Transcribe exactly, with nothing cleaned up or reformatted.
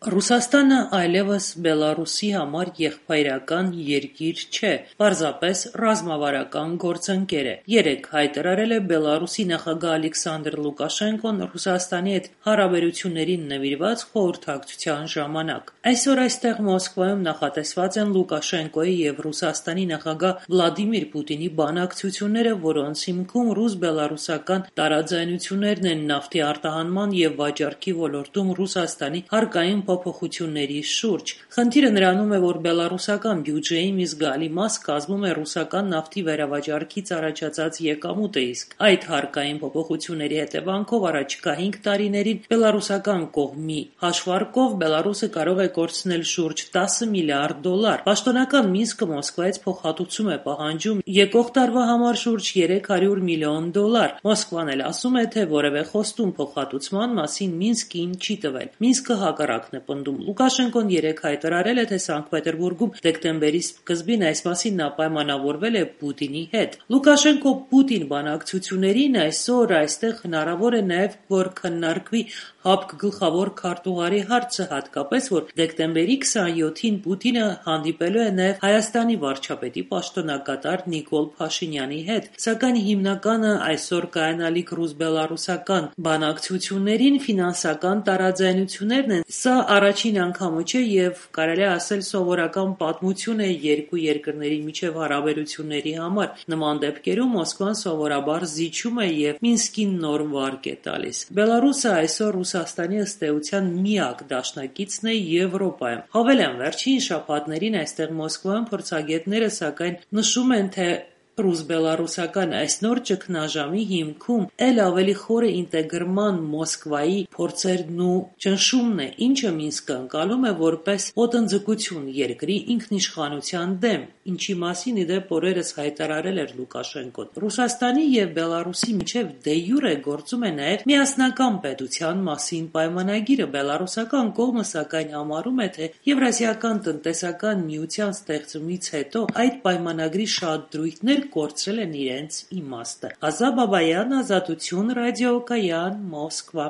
Ռուսաստանը այլևս Բելարուսի համար եղբայրական երկիր չէ, պարզապես ռազմավարական գործընկեր է։ Երեկ հայտարարել է Բելարուսի նախագահ Ալեքսանդր Լուկաշենկոն Ռուսաստանի հետ հարաբերություններին նվիրված խորհրդակցության ժամանակ։ Այսօր այստեղ Մոսկվայում նախատեսված են Լուկաշենկոյի և Ռուսաստանի նախագահ Վլադիմիր Պուտինի բանակցությունները, որոնց հիմքում ռուս-բելարուսական տարաձայնություններն են նավթի արտահանման և վաճառքի ոլորտում Ռուսաստանի հարկային փոփոխությունների շուրջ։ Խնդիրը նրանում է, որ բելարուսական բյուջեի մի զգալի մաս կազմում է ռուսական նավթի վերավաճառքից առաջացած եկամուտը, իսկ այդ հարկային փոփոխությունների հետևանքով առաջիկա հինգ տարիներին բելարուսական կողմի հաշվարկով Բելարուսը կարող է կորցնել շուրջ տասը միլիարդ դոլար։ Պաշտոնական Մինսկը Մոսկվայից փոխհատուցում է պահանջում եկող տարվա համար շուրջ երեք հարյուր միլիոն դոլար։ Մոսկվան էլ ասում է, թե որևէ խոստում փոխհատուցման մասին Մինսկին չի տվել։ Մինսկը հակառակն է պնդում։ Լուկաշենկոն երեկ հայտարարել է, թե Սանկտ Պետերբուրգում դեկտեմբերի սկզբին այս մասին նա պայմանավորվել է Պուտինի հետ։ Լուկաշենկո-Պուտին բանակցություններին այսօր այստեղ հնարավոր է նաև, որ քննարկվի ՀԱՊԿ գլխավոր քարտուղարի հարցը, հատկապես, որ դեկտեմբերի քսանյոթին Պուտինը հանդիպելու է նաև Հայաստանի վարչապետի պաշտոնակատար Նիկոլ Փաշինյանի հետ։ Սակայն հիմնականը այսօր կայանալիք ռուս-բելարուսական բանակցություններին ֆինանսական տարաձայնություններն են։ Սա առաջին անգամը չէ և կարելի է ասել սովորական պատմություն է երկու երկրների միջև հարաբերությունների համար։ Նման դեպքերում Մոսկվան սովորաբար զիջում է և Մինսկին նոր վարկ է տալիս։ Բելարուսը այսօր Ռուսաստանի ըստ էության միակ դաշնակիցն է Եվրոպայում։ Հավելեմ, վերջին շաբաթներին այստեղ Մոսկվայում փորձագետները սակայն նշում են, թե ռուս-բելարուսական այս նոր ճգնաժամի հիմքում էլ ավելի խորը ինտեգրման Մոսկվայի փորձերն ու ճնշումն է, ինչը Մինսկը ընկալում է որպես ոտնձգություն երկրի ինքնիշխանության դեմ, ինչի մասին, ի դեպ, օրերս հայտարարել էր Լուկաշենկոն։ Ռուսաստանի և Բելարուսի միջև դե յուրե գործում է նաև միասնական պետության մասին պայմանագիրը։ Բելարուսական կողմը սակայն համարում է, թե Եվրասիական տնտեսական միության ստեղծումից հետո այդ պայմանագրի շատ դրույթներ կորցրել են իրենց իմաստը։ Ազա Բաբայան, Ազատություն, Ռադիոկայան, Մոսկվա։